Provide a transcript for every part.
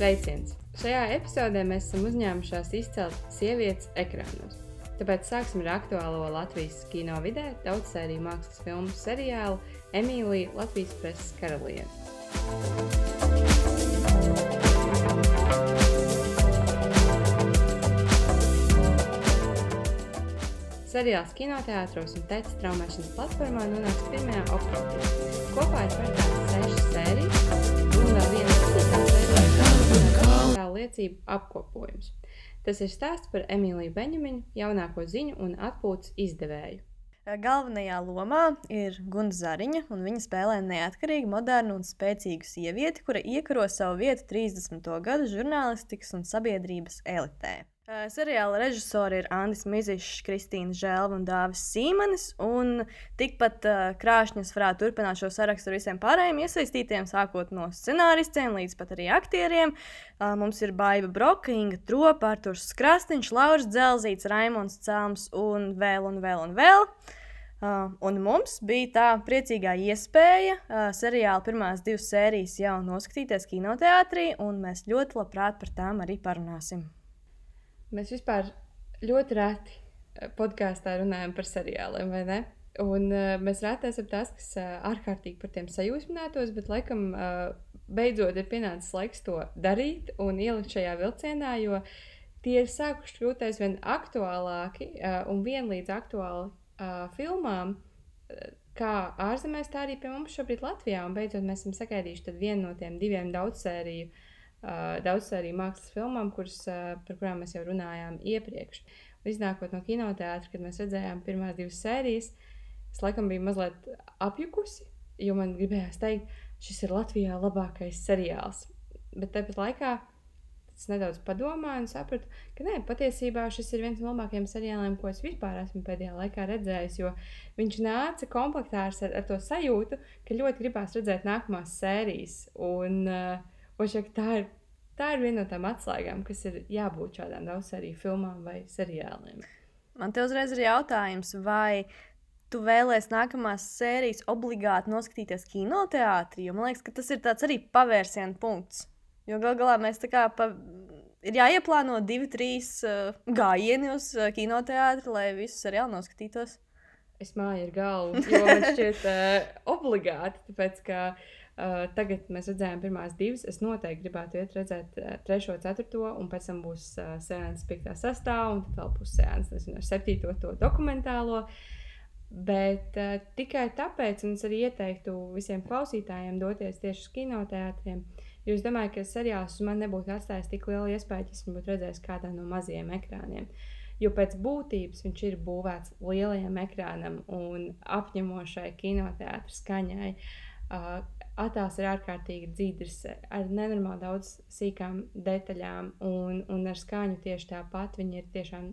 Sveiciens! Šajā epizodē mēs esam uzņēmušās izcelt sievietes ekrānos. Tāpēc sāksim ar aktuālo Latvijas kino vidē daudzsēriju mākslas filmu seriālu Emīlija Latvijas preses karaliene. Seriāls kinoteātros un tēta straumēšanas platformā nonāks 1. oktobrī. Kopā ir paredzētas 6 sērijas un vēl viena sērija liecību apkopojums. Tas ir stāsts par Emīliju Beņemiņu, jaunāko ziņu un atpūtas izdevēju. Galvenajā lomā ir Gunda Zariņa, un viņa spēlē neatkarīgu, modernu un spēcīgu sievieti, kura iekaro savu vietu 30. gadu žurnālistikas un sabiedrības elitē. Seriāla režisori ir Andis Mizišs, Kristīna Želva un Dāvis Sīmanis, un tikpat krāšņas varētu turpināt šo sarakstu ar visiem pārējiem iesaistītiem, sākot no scenāristiem līdz pat arī aktieriem. Mums ir Baiva Broka, Inga Tropa, Arturs Krasniņš, Lauris Dzelzīts, Raimonds Celms un vēl. Un mums bija tā priecīgā iespēja seriāla pirmās 2 sērijas jau noskatīties kinoteātrī, un mēs ļoti labprāt par tām arī parunāsim. Mēs vispār ļoti reti podkāstā runājam par seriāliem, vai ne? Un mēs reti esam tās, kas ārkārtīgi par tiem sajūsminātos, bet laikam beidzot ir pienācis laiks to darīt un ielikt šajā vilcienā, jo tie ir sākuši kļūt aizvien aktuālāki un vienlīdz aktuāli filmām, kā ārzemēs, tā arī pie mums šobrīd Latvijā. Un beidzot mēs esam sagaidījuši tad vienu no tiem 2 daudzsēriju mākslas filmām, par kurām mēs jau runājām iepriekš. Iznākot no kinoteātra, kad mēs redzējām pirmās 2 sērijas, es laikam biju mazliet apjukusi, jo man gribējās teikt, šis ir Latvijā labākais seriāls. Bet tāpat laikā es nedaudz padomāju un sapratu, ka nē, patiesībā šis ir viens no labākajiem seriāliem, ko es vispār esmu pēdējā laikā redzējis, jo viņš nāca komplektā ar to sajūtu, ka ļoti gribās redzēt nākamās sērijas. Un tā ir viena no tām atslēgām, kas ir jābūt šādām daudzsēriju filmām vai seriāliem. Man te uzreiz ir jautājums, vai tu vēlēs nākamās sērijas obligāti noskatīties kinoteātrī? Jo man liekas, ka tas ir tāds arī pavērsiena punkts. Jo gal galā mēs tā kā ir jāieplāno 2-3 gājieni uz kinoteātri, lai visu seriālu noskatītos. Es māju ar galvu, jo man šķiet obligāti, tāpēc ka tagad mēs redzējām pirmās 2. Es noteikti gribētu iet redzēt 3., 4. un pēc tam būs seanss 5., 6. un tad vēl būs seanss ar 7. to dokumentālo. Bet tikai tāpēc, un es arī ieteiktu visiem klausītājiem doties tieši uz kinoteātriem, jo es domāju, ka seriāls uz mani nebūtu atstājis tik lielu iespēju, ja es viņu būtu redzējis kādā no mazajiem ekrāniem. Jo pēc būtības viņš ir būvēts lielajam ekrānam un apņemošai kinoteātra skaņai. Attēls ir ārkārtīgi dzidrs, ar nenormāli daudz sīkām detaļām un ar skaņu tieši tāpat. Viņa ir tiešām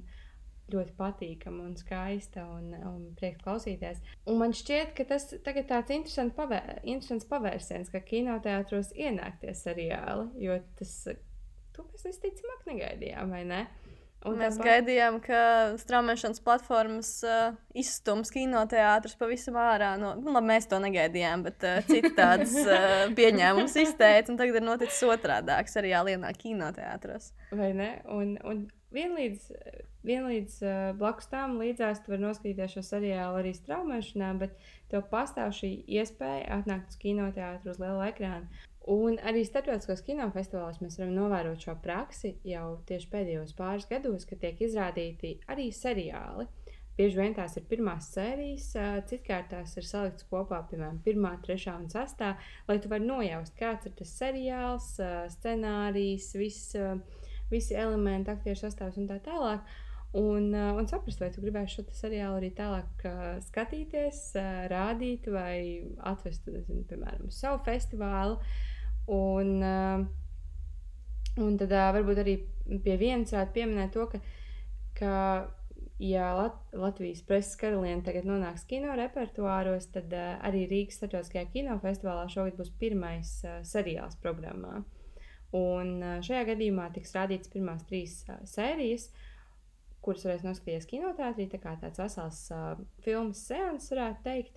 ļoti patīkama un skaista un prieks klausīties. Un man šķiet, ka tas tagad tāds interesants pavērsiens, ka kinoteātros ienāk tie seriāli, jo to mēs visticamāk negaidījām, vai ne? Un mēs gaidījām, ka straumēšanas platformas izstums kinoteātrus pavisam ārā. Labi, mēs to negaidījām, bet citi tādas pieņēmumus izteica, un tagad ir noticis otrādāk, seriāli ienāk kinoteātros. Vai ne? Un vienlīdz blakus tām līdzās tu vari noskatīties šo seriālu arī straumēšanā, bet tev pastāv šī iespēja atnākt uz kinoteātru uz lielu ekrānu. Un arī starptautiskos kinofestivālos mēs varam novērot šo praksi jau tieši pēdējos pāris gados, kad tiek izrādīti arī seriāli. Bieži vien tās ir pirmās sērijas, citkārt tās ir saliktas kopā, piemēram, 1., 3. un 6., lai tu vari nojaust, kāds ir tas seriāls, scenārijs, visi elementi, aktieru sastāvs un tā tālāk. Un saprast, vai tu gribēsi šo seriālu arī tālāk skatīties, rādīt vai atvest, piemēram, uz savu festivālu. Un tad varbūt arī pie vienas varētu pieminēt to, ka ja Latvijas preses karaliene tagad nonāks kino repertuāros, tad arī Rīgas starptautiskajā kinofestivālā šogad būs pirmais seriāls programmā. Un šajā gadījumā tiks rādīts pirmās 3 sērijas, kuras varēs noskatīties kinoteātrī, tā kā tāds vesels filmas seanss, varētu teikt.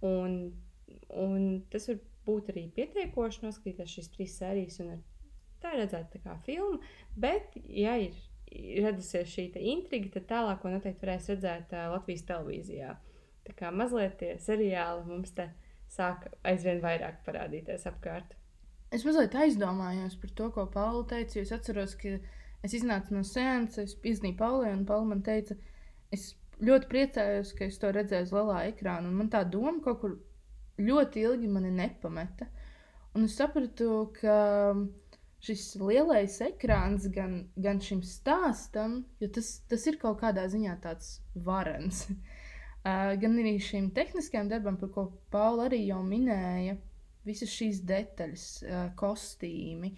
Un tas var būt arī pietiekoši noskatīties šīs 3 sērijas un ar tā ir redzēta tā kā filma, bet, ja ir radusies šī intriga, tad tālāko noteikti varēs redzēt Latvijas televīzijā. Tā kā mazliet tie seriāli mums te sāk aizvien vairāk parādīties apkārt. Es mazliet aizdomājos par to, ko Paula teica, jo es atceros, ka es iznācu no seanses, es piezvanīju Paulai, un Paula man teica, es ļoti priecājos, ka es to redzēju uz lielā ekrāna, un man tā doma kaut kur ļoti ilgi mani nepameta. Un es sapratu, ka šis lielais ekrāns gan šim stāstam, jo tas ir kaut kādā ziņā tāds varens, gan arī šīm tehniskajām darbām, par ko Paula arī jau minēja, visas šīs detaļas, kostīmi,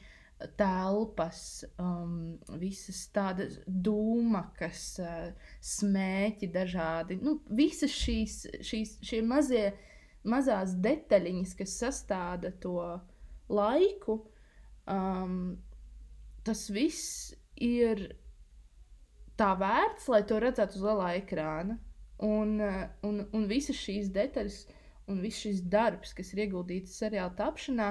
telpas, visas tādas dūmakas, smēķi dažādi. Nu, visas šie mazās detaļiņas, kas sastāda to laiku, tas viss ir tā vērts, lai to redzētu uz lielā ekrāna. Un visas šīs detaļas un viss šis darbs, kas ir ieguldīts seriāla tapšanā,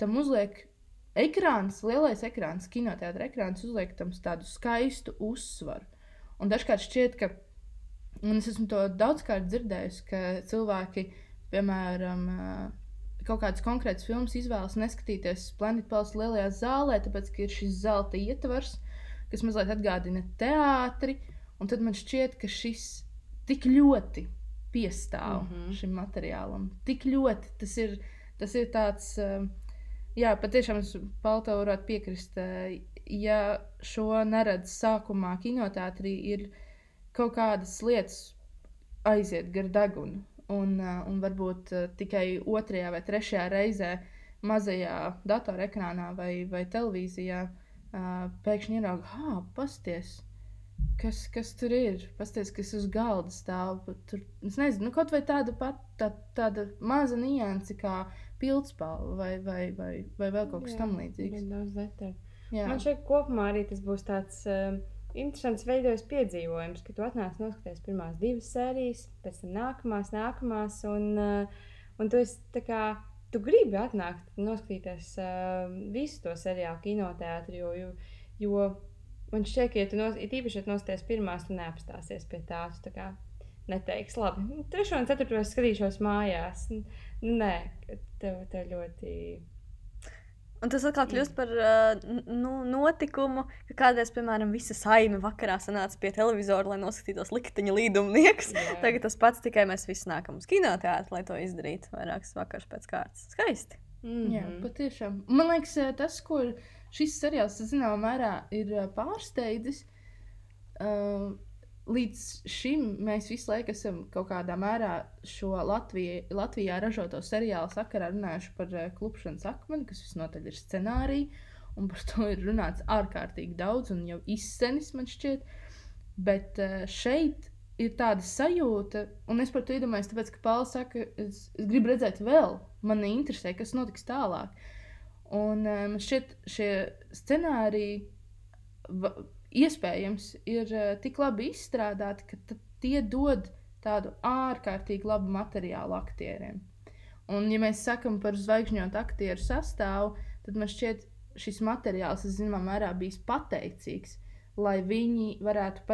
tam uzliek ekrāns, lielais ekrāns, kinoteātra ekrāns, uzliek tam tādu skaistu uzsvaru. Un dažkārt šķiet, ka, un es esmu to daudzkārt dzirdējusi, ka cilvēki, piemēram, kaut kādas konkrētas filmas izvēlas neskatīties Planet Palace lielajā zālē, tāpēc, ka ir šis zelta ietvars, kas mazliet atgādina teātri, un tad man šķiet, ka šis tik ļoti piestāv šim materiālam. Tik ļoti tas ir tāds, jā, patiešām es Paula tev varētu piekrist, ja šo neredz sākumā kinoteātrī, ir kaut kādas lietas aiziet gar degunu, un varbūt tikai 2. vai 3. reizē mazajā datorekrānā vai televīzijā pēkšņi ierauga, pasties, kas tur ir, pasties, kas uz galda stāv. Tur, es nezinu, kaut vai tāda maza nianse kā pildspalva vai vēl kaut kas tam līdzīgs. Daudz detaļu. Man šeit kopumā arī tas būs tāds interesants veidojis piedzīvojums, ka tu atnāc noskaties pirmās 2 sērijas, pēc tam nākamās, un tu esi tā kā, tu gribi atnākt noskatīties visu to seriālu kinoteātri, jo man šķiet, ka, ja tu īpaši, ja tu nosties pirmās, tu neapstāsies pie tā, tu tā kā neteiks, labi, 3. un 4. es skatīšos mājās. Nē, tev ļoti... Un tas atkal kļūst par notikumu, ka kādreiz, piemēram, visa saime vakarā sanāca pie televizora, lai noskatītos Likteņa līdumnieks. Tagad tas pats, tikai mēs visi nākam uz kinoteātri, lai to izdarītu vairākas vakars pēc kārtas. Skaisti. Jā, patiešām. Man liekas, tas, ko šis seriāls, zināmā mērā, ir pārsteidzis, līdz šim mēs visu laiku esam kaut kādā mērā šo Latvijā ražoto seriālu sakarā runājuši par Klupšanas akmeni, kas visnotaļ ir scenārija, un par to ir runāts ārkārtīgi daudz un jau izsenis, man šķiet. Bet šeit ir tāda sajūta, un es par to iedomājos, tāpēc, ka Paula saka, es gribu redzēt vēl, man interesē, kas notiks tālāk. Un man šķiet, šie scenāriji iespējams ir tik labi izstrādāti, ka tie dod tādu ārkārtīgi labu materiālu aktieriem. Un, ja mēs sakam par zvaigžņotu aktieru sastāvu, tad man šķiet, šis materiāls, zināmā mērā, bijis pateicīgs, lai viņi varētu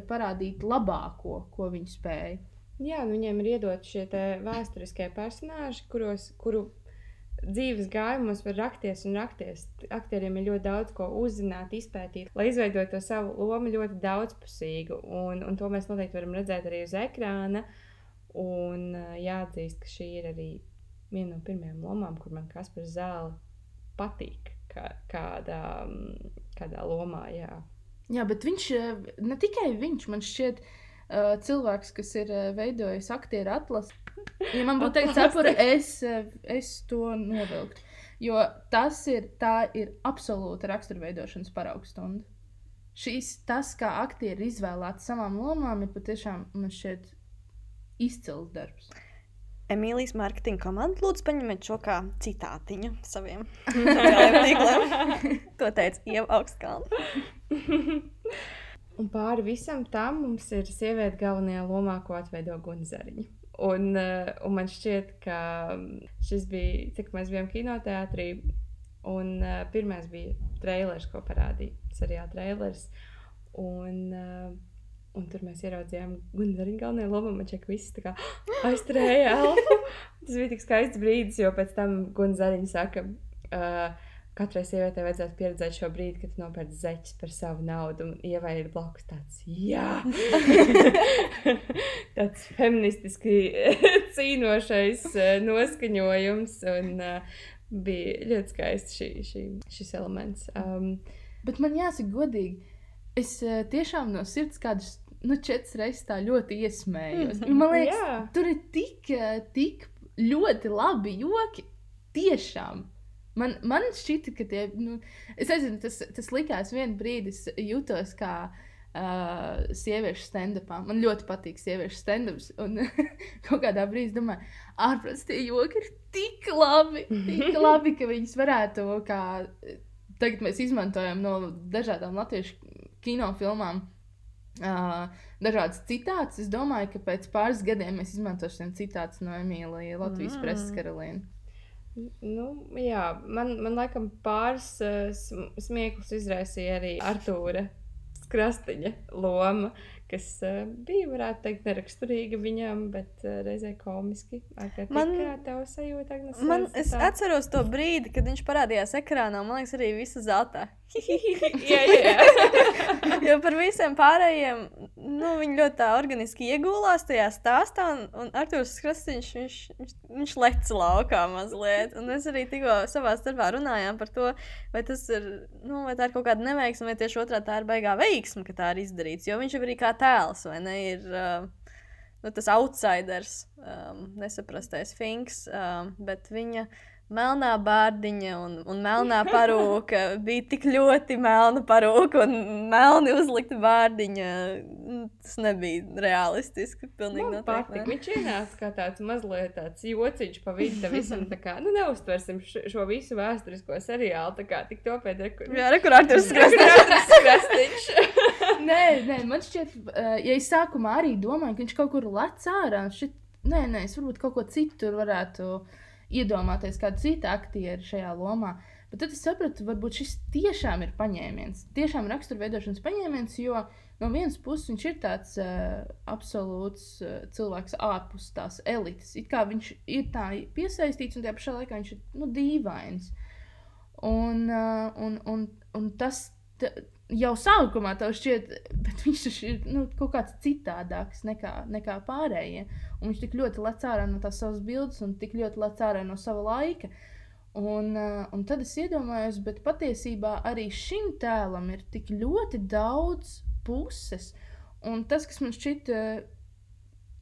parādīt labāko, ko viņi spēja. Jā, viņiem ir iedot šie vēsturiskie personāži, kuru dzīves gājumos var rakties un rakties. Aktieriem ir ļoti daudz ko uzzināt, izpētīt, lai izveidotu to savu lomu ļoti daudzpusīgu. Un to mēs noteikti varam redzēt arī uz ekrāna. Un jāatzīst, ka šī ir arī viena no pirmajām lomām, kur man Kaspars Zāle patīk kādā lomā, jā. Jā, bet viņš, ne tikai viņš, man šķiet, cilvēks, kas ir veidojis aktieru atlasi. Ja man būtu teikt cepura, es to novilktu. Jo tā ir absolūta raksturveidošanas paraugstunda. Tas, kā aktieri izvēlēti savām lomām, ir patiešām, man šķiet, izcils darbs. Emīlijas mārketinga komanda lūdzu paņemiet šo kā citātiņu saviem tīkliem. To teica Ieva Augstkalna. Un pāri visam tam mums ir sieviete galvenajā lomā, ko atveido Guna Zariņa. Un man šķiet, ka šis bija, cik mēs bijām kinoteātrī, Un pirmais bija trailers, ko parādīja. Seriāla trailers. Un tur mēs ieraudzījām Gunzariņu galvenajā lomā. Man šķiet, ka viss tā kā aizturēja elfu. Tas bija tik skaists brīdis, jo pēc tam Gunzariņa saka, katrai sievietei vajadzētu pieredzēt šo brīdi, kad tu nopērci zeķes par savu naudu. Un Ievai ir blakus tāds, jā! Tāds feministiski cīnošais noskaņojums. Un bija ļoti skaists šis elements. Bet man jāsaka godīgi, es tiešām no sirds kādus 4 reizes tā ļoti iesmējos. Man liekas, tur ir tik ļoti labi joki. Tiešām. Man šķita, ka tie, es nezinu, tas likās vienu brīdi, es jūtos kā sieviešu stand-upā. Man ļoti patīk sieviešu stand-ups. Un kaut kādā brīdī domāju, ārprāts tie joki ir tik labi, ka viņas varētu, kā tagad mēs izmantojam no dažādām latviešu kinofilmām, dažādas citātus. Es domāju, ka pēc pāris gadiem mēs izmantosim citātus no Emīlija Latvijas preses karaliene. Jā, man laikam pāris smieklus izraisīja arī Artūra Krastiņa loma, kas bija, varētu teikt, neraksturīga viņam, bet reizē komiski. Kā tev sajūta, Agnes? Es atceros to brīdi, kad viņš parādījās ekrānā, man liekas, arī visa zelta. Jā. Jo par visiem pārējiem, viņi ļoti tā organiski iegulās tajā stāstā, un Artūrs Krastiņš, viņš lec laukā mazliet. Un mēs arī tikko savā starpā runājām par to, vai tas ir, vai tā ir kaut kāda neveiksme, vai tieši otrā tā ir baigā veiksme, ka tā ir izdarīts. Jo viņš jau arī kā tēls, vai ne, ir tas outsiders, nesaprastais Finks, bet viņa melnā bārdiņa un melnā parūka bija tik ļoti melna parūka un melni uzlikta bārdiņa. Tas nebija realistiski. Man patīk. Viņš ienāca kā tāds mazliet tāds jociņš pa vidu visam. Tā kā, neuztversim šo visu vēsturisko seriālu. Tā kā tik topēt rekur Artūrs Krastiņš. Nē, man šķiet, ja es sākumā arī domāju, ka viņš kaut kur lec ārā, nē, es varbūt kaut ko citu tur varētu iedomāties kādu citu aktieru šajā lomā. Bet tad es sapratu, varbūt šis tiešām ir paņēmiens. Tiešām raksturveidošanas paņēmiens, jo no vienas puses viņš ir tāds absolūts cilvēks ārpus tās elites. It kā viņš ir tā piesaistīts un tajā pašā laikā viņš ir dīvains. Un tas jau sākumā tev šķiet, bet viņš ir kaut kāds citādāks nekā pārējie. Un viņš tik ļoti lec ārā no tās savas bildes un tik ļoti lec ārā no sava laika. Un tad es iedomājos, bet patiesībā arī šim tēlam ir tik ļoti daudz puses. Un tas, kas man šķita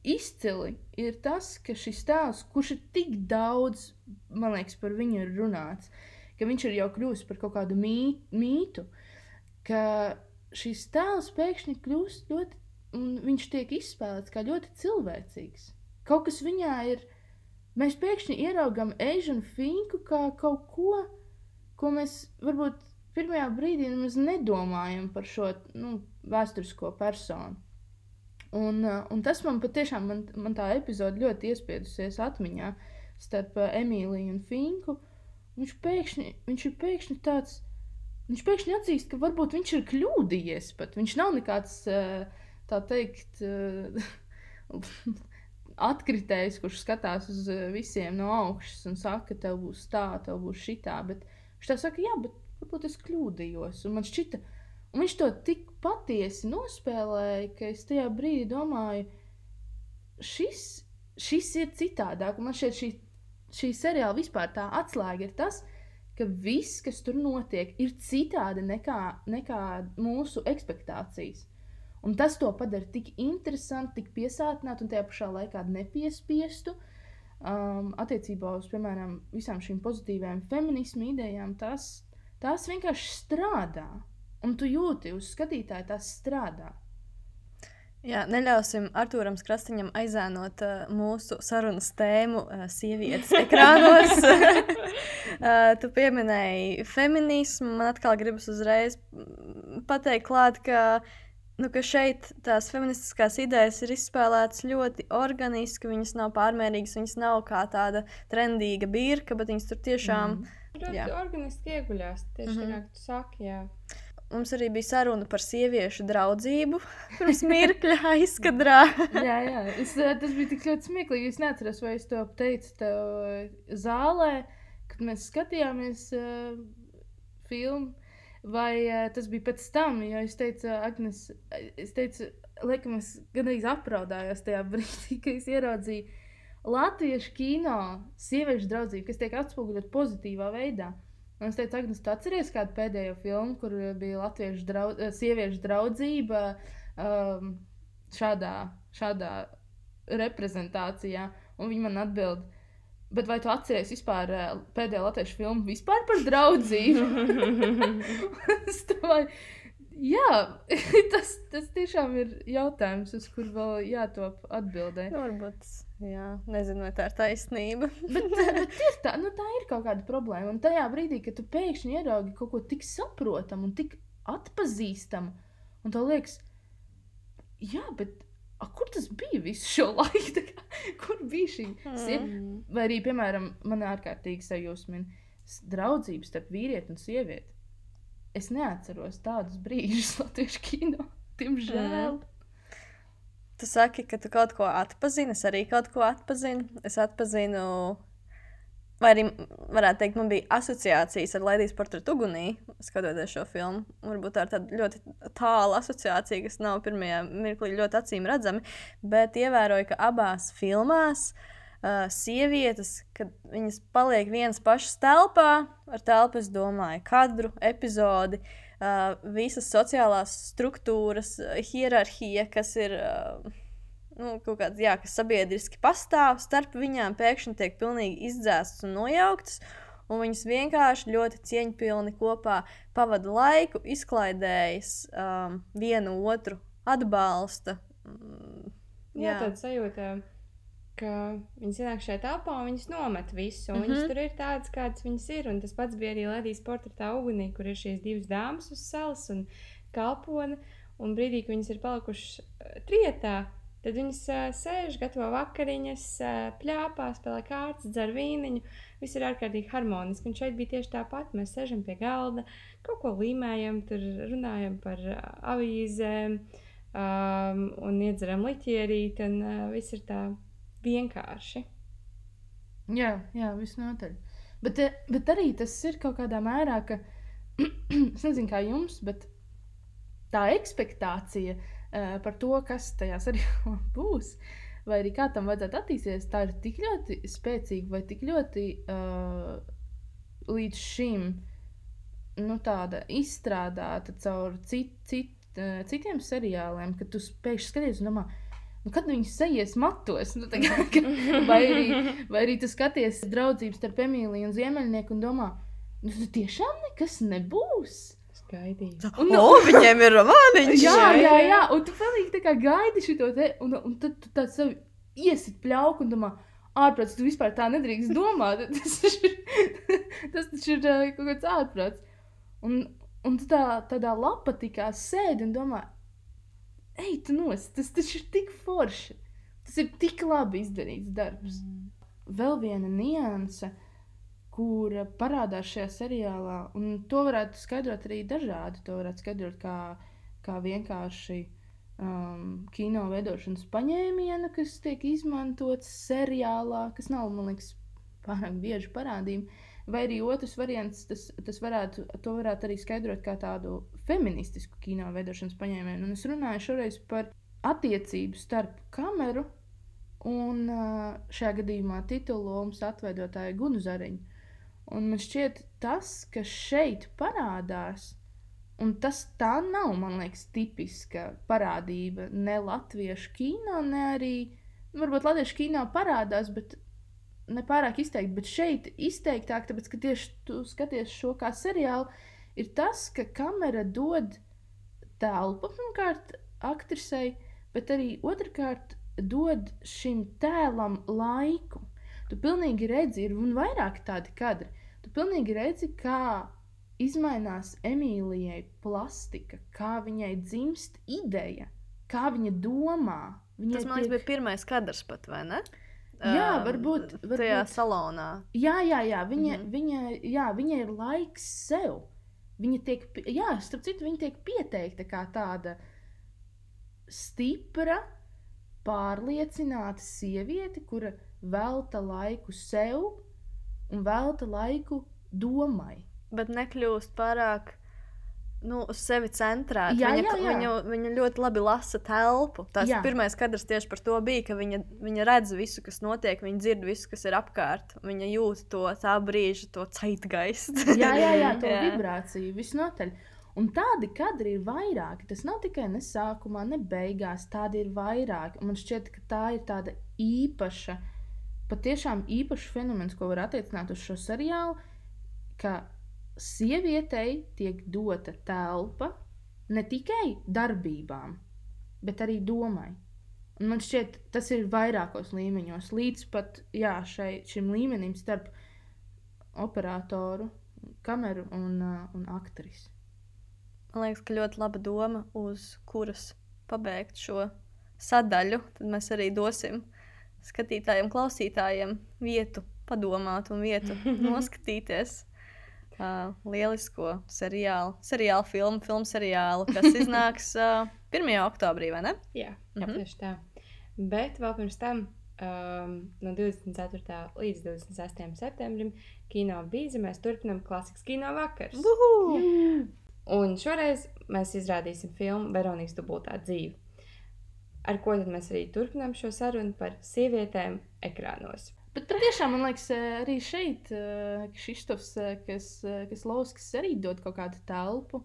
izcili, ir tas, ka šis tēls, kurš ir tik daudz, man liekas, par viņu ir runāts, ka viņš ir jau kļūst par kaut kādu mītu, ka šis tēls pēkšņi kļūst ļoti, un viņš tiek izspēlēts kā ļoti cilvēcīgs. Kaut kas viņā ir, mēs pēkšņi ieraugam Asian Finku kā kaut ko mēs varbūt pirmajā brīdī mēs nedomājam par šo vēsturisko personu. Un tas man patiešām, man tā epizode ļoti iespiedusies atmiņā starp Emīliju un Finku. Viņš ir pēkšņi tāds, viņš pēkšņi atzīst, ka varbūt viņš ir kļūdījies pat. Viņš nav nekāds, tā teikt, atkritējs, kurš skatās uz visiem no augšas un saka, tev būs tā, tev būs šitā. Bet viņš tā saka, jā, bet varbūt es kļūdījos. Un man šķita, un viņš to tik patiesi nospēlēja, ka es tajā brīdī domāju, šis ir citādāk. Un man šķiet, šī seriāla vispār tā atslēga ir tas, ka viss, kas tur notiek, ir citādi nekā mūsu ekspektācijas. Un tas to padara tik interesanti, tik piesātinātu un tajā pašā laikā nepiespiestu. Attiecībā uz, piemēram, visām šīm pozitīvajām feminismu idejām, tās vienkārši strādā. Un tu jūti uz skatītāju, tās strādā. Jā, neļausim Artūram Krastiņam aizēnot mūsu sarunas tēmu sievietes ekrānos. Tu pieminēji feminismu, man atkal gribas uzreiz pateikt klāt, ka šeit tās feministiskās idejas ir izspēlētas ļoti organiski, viņas nav pārmērīgas, viņas nav kā tāda trendīga birka, bet viņas tur tiešām tur organiski ieguļās. Tieši tā kā tu saki, jā. Mums arī bija saruna par sieviešu draudzību pirms mirkļa aizkadrā. jā. Tas bija tik ļoti smieklīgi. Es neatceros, vai es to teicu tev zālē, kad mēs skatījāmies filmu, vai tas bija pēc tam, jo es teicu, Agnes, laikam es gandrīz apraudājos tajā brīdī, ka es ieraudzīju latviešu kino sieviešu draudzību, kas tiek atspoguļot pozitīvā veidā. Un es teicu, Agnes, tu atceries kādu pēdējo filmu, kur bija latviešu sieviešu draudzība šādā reprezentācijā? Un viņa man atbild, bet vai tu atceries vispār pēdējo latviešu filmu vispār par draudzību? Es domāju, jā, tas tiešām ir jautājums, uz kur vēl jātop atbildē. Varbūt, jā, nezinu, vai tā ir taisnība. bet ir tā ir kaut kāda problēma. Un tajā brīdī, kad tu pēkšņi ieraugi kaut ko tik saprotamu un tik atpazīstamu, un tev liekas, jā, bet kur tas bija visu šo laiku? Kur bija šī vai arī, piemēram, man ārkārtīgi sajūsmina draudzības starp vīrieti un sievieti. Es neatceros tādus brīžus latviešu kino, diemžēl. Tu saki, ka tu kaut ko atpazini, es arī kaut ko atpazinu. Es atpazinu, vai arī varētu teikt, man bija asociācijas ar Laidijas portretu ugunī, skatoties šo filmu. Varbūt tā ir tāda ļoti tāla asociācija, kas nav pirmajā mirklī ļoti acīm redzami, bet ievēroju, ka abās filmās sievietes, kad viņas paliek vienas pašas telpā, ar telpu es domāju kadru, epizodi, visas sociālās struktūras, hierarhija, kas ir kaut kāds, jā, kas sabiedriski pastāv starp viņām, pēkšņi tiek pilnīgi izdzēstas un nojauktas, un viņas vienkārši ļoti cieņpilni kopā pavada laiku, izklaidējas, vienu otru atbalsta. Jā, tāda sajūta, ka viņas ienāk šajā telpā un viņas nomet visu, un viņas tur ir tādas, kādas viņas ir, un tas pats bija arī Laidijas portretā ugunī, kur ir šīs divas dāmas uz salas un kalpone, un brīdī, kad viņas ir palikušas trietā, tad viņas sēž, gatavo vakariņas, pļāpā, spēlē kārtas, dzer vīniņu, viss ir ārkārtīgi harmoniski, un šeit bija tieši tāpat, mēs sēžam pie galda, kaut ko līmējam, tur runājam par avīzēm, un iedzeram liķierīt, un viss ir tā vienkārši. Jā, visnotaļ. Bet arī tas ir kaut kādā mērā, ka es nezinu, kā jums, bet tā ekspektācija par to, kas tajā seriālā būs, vai arī kā tam vajadzētu attīstīties, tā ir tik ļoti spēcīga vai tik ļoti līdz šim tāda izstrādāta caur citiem seriāliem, ka tu pēkšņi skaties un domā, kad viņas sajies matos, vai arī tu skaties draudzības starp Emīliju un Ziemeļnieku un domā, tiešām nekas nebūs. Es gaidīju. Viņiem ir romāniņš. Jā, un tu palīgi tā kā gaidi šito te, un tad tu tā sevi iesit pļauku un domā, ārprāts, tu vispār tā nedrīkst domāt. Tas taču ir kaut kāds ārprāts. Un tu tādā lapatikā sēdi un domā, ej, tu nost, tas taču ir tik forši. Tas ir tik labi izdarīts darbs. Vēl viena nianse, kura parādās šajā seriālā, un to varētu skaidrot arī dažādi. To varētu skaidrot kā vienkārši kino veidošanas paņēmienu, kas tiek izmantots seriālā, kas nav, man liekas, pārāk bieži parādījumi. Vai arī otrs variants, to varētu arī skaidrot kā tādu feministisku kino veidošanas paņēmienu. Un es runāju šoreiz par attiecību starp kameru un šajā gadījumā titulu lomas atveidotāju Gunu Zariņu. Un man šķiet tas, kas šeit parādās, un tas tā nav, man liekas, tipiska parādība ne latviešu kino, ne arī, varbūt latviešu kino parādās, bet nepārāk izteikti, bet šeit izteiktāk, tāpēc, ka tieši tu skaties šo kā seriālu, ir tas, ka kamera dod telpu, pirmkārt, aktrisei, bet arī otrkārt dod šim tēlam laiku. Tu pilnīgi redzi, ir un vairāk tādi kadri, tu pilnīgi redzi, kā izmainās Emīlijai plastika, kā viņai dzimst ideja, kā viņa domā. Tas, man liekas, bija pirmais kadrs pat, vai ne? varbūt. Tajā salonā. Jā, viņa ir laiks sev. Viņa tiek, starp citu, viņa tiek pieteikta kā tāda stipra, pārliecināta sieviete, kura velta laiku sev un velta laiku domai. Bet nekļūst pārāk uz sevi centrēta. Viņa ļoti labi lasa telpu. Tas pirmais kadrs tieši par to bija, ka viņa redz visu, kas notiek, viņa dzird visu, kas ir apkārt. Viņa jūt tā brīža, to zeitgeistu. To vibrāciju, visnotaļ. Un tādi kadri ir vairāki. Tas nav tikai ne sākumā, ne beigās. Tādi ir vairāki. Un man šķiet, ka tā ir tāda īpaša, patiešām īpaša fenomens, ko var attiecināt uz šo seriālu, ka sievietei tiek dota telpa ne tikai darbībām, bet arī domai. Un man šķiet, tas ir vairākos līmeņos, līdz pat šim līmenim starp operatoru, kameru un aktrisi. Man liekas, ka ļoti laba doma, uz kuras pabeigt šo sadaļu. Tad mēs arī dosim skatītājiem, klausītājiem vietu padomāt un vietu noskatīties. Lielisko seriālu filmu seriālu, kas iznāks 1. oktobrī, vai ne? Jā, tieši tā. Bet vēl pirms tam no 24. līdz 26. septembrim Kino Bīze mēs turpinām klasikas kino vakars. Un šoreiz mēs izrādīsim filmu Veronikas dubultā dzīve. Ar ko tad mēs arī turpinām šo sarunu par sievietēm ekrānos. Bet patiešām, man liekas, arī šeit Kšištofs, kas Lauskis arī dod kaut kādu telpu.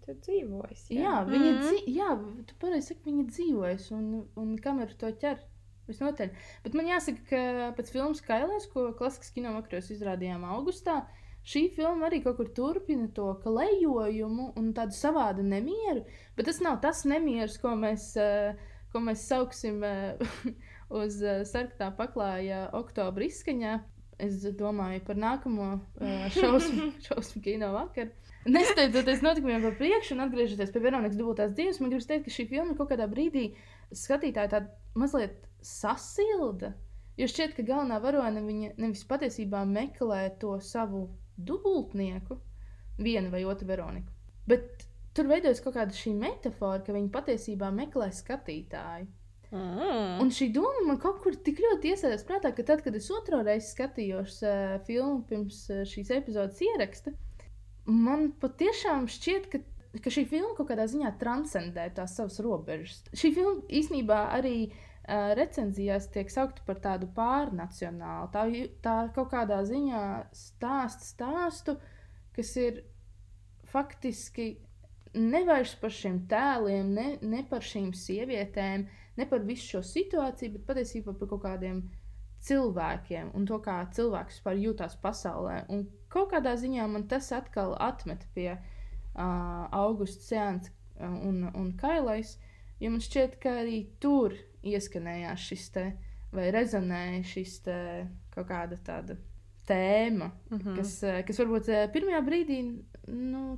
Tu dzīvojas, tu pareizi saki, viņa dzīvojas, un kameru to ķer visnotaļ. Bet man jāsaka, ka pēc filmas Kailēs, ko klasikas kino vakaros izrādījām augustā, šī filma arī kaut kur turpina to klejojumu un tādu savādu nemieru, bet tas nav tas nemieris, ko mēs sauksim uz sarktā paklāja oktobra izskaņā. Es domāju par nākamo šausmu kino vakaru. Nesteidzoties notikumiem par priekšu un atgriežoties pie Veronikas dubultās dzīves, man gribas teikt, ka šī filma kaut kādā brīdī skatītāju tādu mazliet sasilda. Jo šķiet, ka galvenā varone viņa nevis patiesībā meklē to savu dubultnieku, vienu vai otru Veroniku, bet tur veidojas kaut kāda šī metafora, ka viņa patiesībā meklē skatītāju. Un šī doma man kaut kur tik ļoti iesēdās prātā, ka tad, kad es otro reizi skatījos filmu pirms šīs epizodes ieraksta, man patiešām šķiet, ka šī filma kaut kādā ziņā transcendē tās savas robežas. Šī filma īsnībā arī recenzijās tiek saukta par tādu pārnacionālu. Tā kaut kādā ziņā stāstu, kas ir faktiski nevairs par šiem tēliem, ne par šīm sievietēm, ne par visu šo situāciju, bet patiesībā par kaut kādiem cilvēkiem un to, kā cilvēks vispār jūtās pasaulē. Un kaut kādā ziņā man tas atkal atmet pie Augusta Seansa un Kailais, jo man šķiet, ka arī tur ieskanējās šis te, vai rezonēja šis te kaut kāda tāda tēma, kas varbūt pirmajā brīdī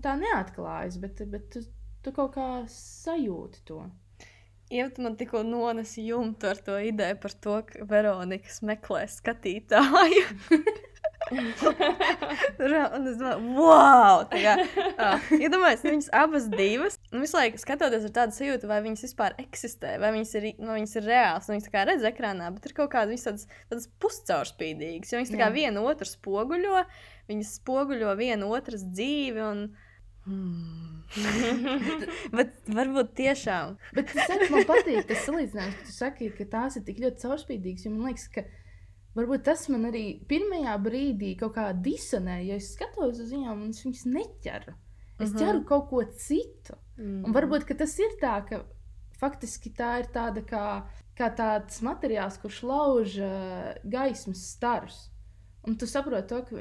tā neatklājas, bet tu kaut kā sajūti to. Ja tu man tikko nonesi jumtu ar to ideju par to, ka Veronikas meklē skatītāju. Un es domāju, wow! Iedomājies, viņas abas divas, un visu laiku skatoties ar tādu sajūtu, vai viņas vispār eksistē, vai viņas ir reāls, un viņas tā kā redz ekrānā, bet ir kaut kādas viņas tādas puscaurspīdīgas, jo viņas tā kā viena otru spoguļo, viņas spoguļo viena otras dzīvi, un bet varbūt tiešām. Bet man patīk tas salīdzinājums, ka tu saki, ka tās ir tik ļoti caurspīdīgas, jo man liekas, ka varbūt tas man arī pirmajā brīdī kaut kā disonē, ja es skatos uz viņām un es viņas neķeru. Es ķeru kaut ko citu. Un varbūt, ka tas ir tā, ka faktiski tā ir tāda kā tāds materiāls, kurš lauž gaismas starus. Un tu saproti to, ka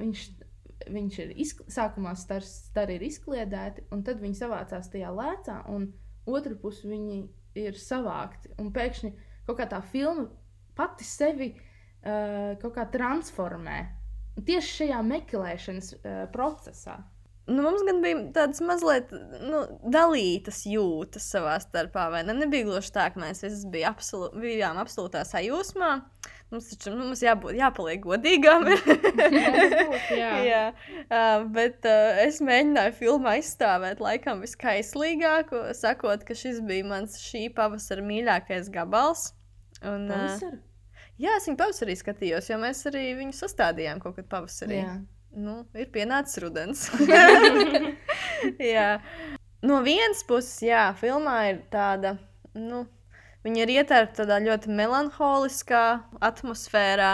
viņš ir sākumā stari ir izkliedēti, un tad viņi savācās tajā lēcā, un otru pusi viņi ir savākti. Un pēkšņi kaut kā tā filma pati sevi kaut kā transformē. Tieši šajā meklēšanas procesā. Mums gan bija tādas mazliet dalītas jūtas savā starpā, vai ne? Nebija gluži tā, ka mēs visi bijām absolūtā sajūsmā. Mums jāpaliek godīgām. Jā. Bet es mēģināju filmā izstāvēt laikam viskaislīgāko, sakot, ka šis bija mans šī pavasara mīļākais gabals. Pavasara? Jā, es viņu pavasarī skatījos, jo mēs arī viņu sastādījām kaut kad pavasarī. Jā. Ir pienācis rudens. Jā. No vienas puses, jā, filmā ir tāda, viņa ir ietērpta tādā ļoti melanholiskā atmosfērā,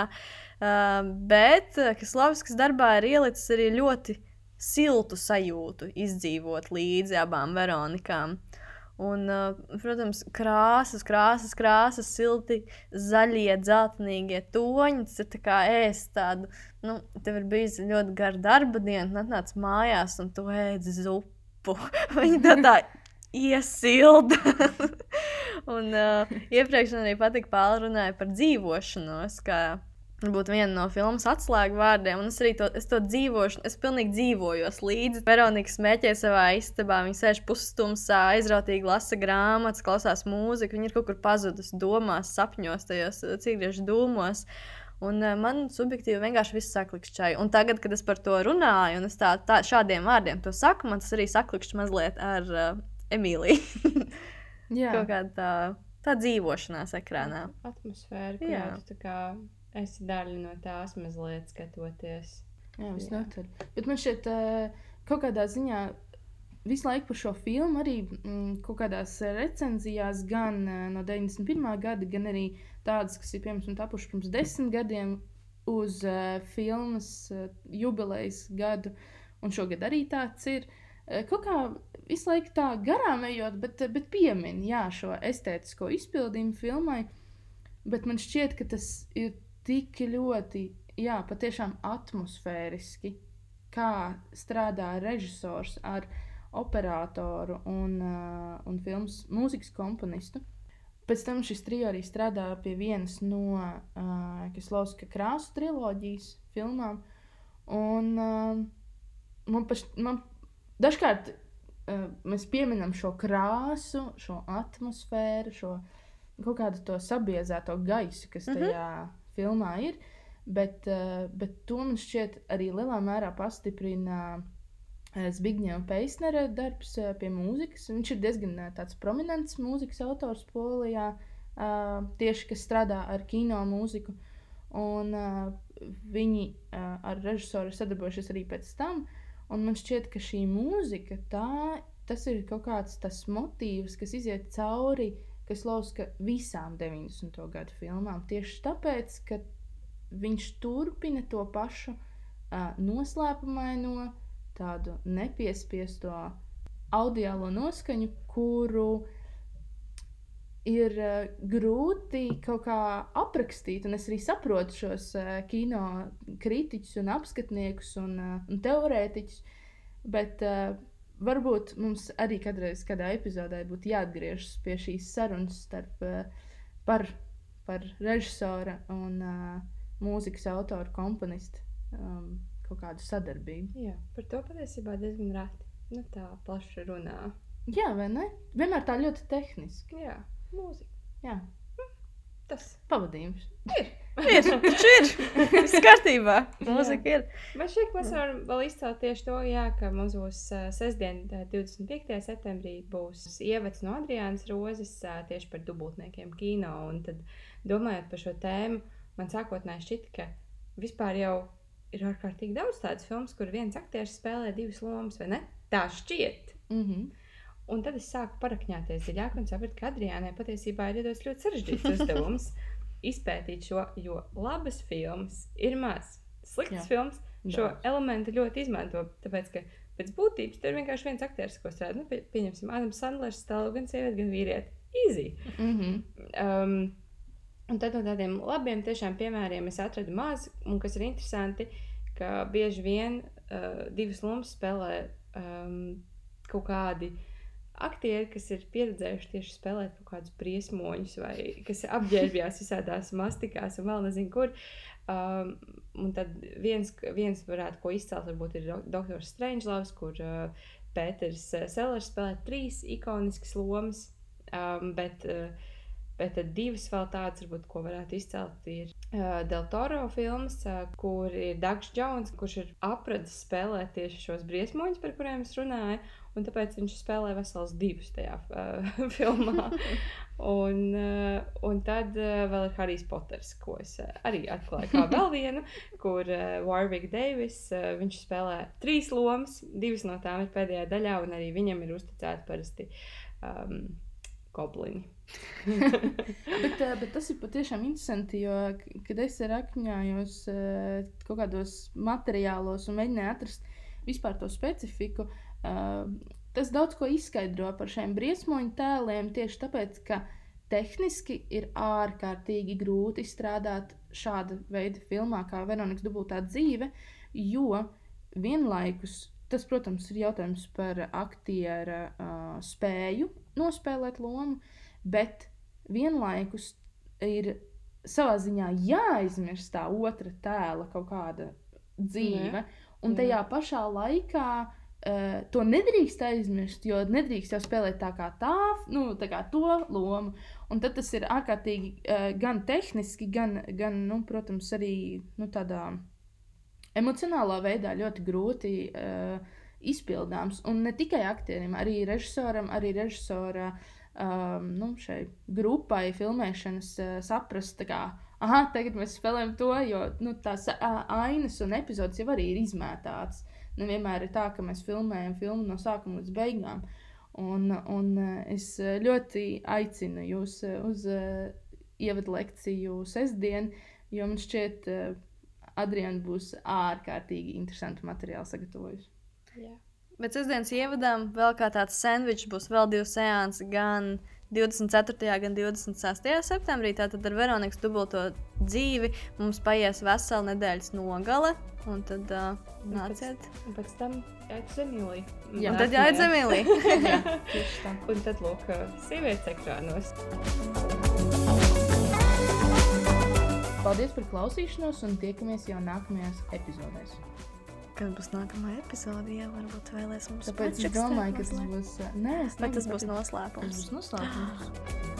bet Kislovskis darbā ir ielicis arī ļoti siltu sajūtu izdzīvot līdzi abām Veronikām. Un, protams, krāsas, silti, zaļie, dzeltenīgie toņi. Tas ir tā kā ēst tādu, tev ir bijis ļoti gara darba diena, un atnāc mājās, un tu ēdzi zupu. Viņa tā iesilda. Un iepriekš man arī patika Pāla runāja par dzīvošanos, kā varbūt viena no filmas atslēgu vārdiem, un es to dzīvošu, es pilnīgi dzīvojos līdzi. Veronika smēķē savā istabā, viņa sēž pusstumsā, aizrautīgi lasa grāmatas, klausās mūziku, viņa ir kaut kur pazudusi domās, sapņos, tajos cigarešu dūmos. Un man subjektīvi vienkārši viss saklikšķai. Un tagad, kad es par to runāju, un es šādiem vārdiem to saku, man tas arī saklikšķi mazliet ar Emīliju. Kaut kāda tā dzīvošanās ekrānā. Atmosfēra, kurā tu tā kā esi daļa no tās mazliet skatoties. Jā, visnotaļ. Bet man šķiet, kaut kādā ziņā visu laiku par šo filmu arī kaut kādās recenzijās gan no 91. gada, gan arī tādas, kas ir piemēram tapuši pirms 10 gadiem uz filmas jubilejas gadu, un šogad arī tāds ir. Kaut kā visu laiku tā garām ejot, bet piemin, šo estētisko izpildījumu filmai, bet man šķiet, ka tas ir tik ļoti, patiešām atmosfēriski, kā strādā režisors ar operatoru un filmas mūzikas komponistu. Pēc tam šis trio arī strādā pie vienas no Kislovska krāsu triloģijas filmām. Un man dažkārt mēs pieminam šo krāsu, šo atmosfēru, šo kaut kādu to sabiezēto gaisu, kas tajā filmā ir, bet to man šķiet arī lielā mērā pastiprina Zbigņeva Peisnera darbs pie mūzikas. Viņš ir diezgan tāds prominents mūzikas autors Polijā, tieši kas strādā ar kino mūziku, un viņi ar režisoru sadarbojušies arī pēc tam, un man šķiet, ka šī mūzika, tas ir kaut kāds tas motīvs, kas iziet cauri Kislovska visām 90. gadu filmām. Tieši tāpēc, ka viņš turpina to pašu noslēpumaino, tādu nepiespiesto audiālo noskaņu, kuru ir grūti kaut kā aprakstīt. Un es arī saprotu šos kino kritiķus un apskatniekus un teorētiķus, bet varbūt mums arī kādreiz kādā epizodē būtu jāatgriežas pie šīs sarunas par režisora un mūzikas autoru komponistu kaut kādu sadarbību. Jā, par to patiesībā diezgan reti. Tā plaši runā. Jā, vai ne? Vienmēr tā ļoti tehniski. Jā, mūzika. Jā. Tas pavadījums. Ir. Viss kārtībā. Mūzika ir. Man šķiet, ka mēs varam vēl izcelt tieši to, ka mums būs sestdien, 25. septembrī, būs ievads no Adriānas Rozes tieši par dubultniekiem kino. Un tad, domājot par šo tēmu, man sākotnēji šķita, ka vispār jau ir ārkārtīgi daudz tādas filmas, kur viens aktieris spēlē divas lomas, vai ne? Tā šķiet. Un tad es sāku parakņāties dziļāk un sapratu, ka Adriānai patiesībā ir iedots ļoti sarežģīts uzdevums izpētīt šo, jo labas filmas ir maz. Sliktas filmas šo elementu ļoti izmanto, tāpēc, ka pēc būtības tur ir vienkārši viens aktieris, ko strādā. Pieņemsim, Adams Sandlers stāv gan sievieti, gan vīrieti. Easy. Un tad no tādiem labiem tiešām piemēriem es atradu maz, un kas ir interesanti, ka bieži vien divas lomas spēlē kaut kādi aktieri, kas ir pieredzējuši tieši spēlēt kaut kādus briesmoņus vai kas apģērbjās visādās mastikās un vēl nezinu kur. Un tad viens varētu ko izcelt, varbūt ir Doktors Strangeloves, kur Pēters Sellers spēlē 3 ikoniskas lomas, bet tad 2 vēl tādas, varbūt, ko varētu izcelt, ir Del Toro filmas, kur ir Douglas Jones, kurš ir apradis spēlēt tieši šos briesmoņus, par kuriem es runāju, un tāpēc viņš spēlē vesels 2 tajā filmā. Un tad vēl ir Harijs Poters, ko es arī atklāju kā vēl vienu, kur Warwick Davis, viņš spēlē 3 lomas, 2 no tām ir pēdējā daļā, un arī viņam ir uzticēti parasti goblini. bet tas ir patiešām interesanti, jo, kad es rakņājos kaut kādos materiālos un mēģināju atrast vispār to specifiku, tas daudz ko izskaidro par šiem briesmoņu tēliem, tieši tāpēc, ka tehniski ir ārkārtīgi grūti strādāt šāda veida filmā kā Veronikas dubultā dzīve, jo vienlaikus tas, protams, ir jautājums par aktiera spēju nospēlēt lomu, bet vienlaikus ir savā ziņā jāaizmirst tā otra tēla kaut kāda dzīve, un tajā pašā laikā to nedrīkst aizmirst, jo nedrīkst jau spēlēt tā kā to lomu, un tad tas ir ārkārtīgi gan tehniski, gan protams, arī tādā emocionālā veidā ļoti grūti izpildāms, un ne tikai aktierim, arī režisoram, arī režisora šai grupai filmēšanas saprast, tagad mēs spēlējam to, jo tās ainas un epizodes jau arī ir izmētātas. Nevienmēr ir tā, ka mēs filmējam filmu no sākuma līdz beigām. Un es ļoti aicinu jūs uz ievadu lekciju sestdien, jo man šķiet, Adriana būs ārkārtīgi interesantu materiālu sagatavojusi. Jā. Bet sestdienas ievadām vēl kā tāds sandvičs būs vēl 2 seansi, gan 24. gan 26. septembrī. Tātad ar Veronikas dubulto dzīvi mums paies vesela nedēļas nogale. Un tad nāciet. Un pēc tam jāiet uz Emīliju. Un tad jāiet uz Emīliju. Jā, tieši tā. Un tad, lūk, sievietes ekrānos. Paldies par klausīšanos un tiekamies jau nākamajās epizodēs. Kad būs nākamā epizode, jā, varbūt vēlēs mums Tāpēc es domāju, ka tas būs... Vai tas būs noslēpums? Tas būs noslēpums.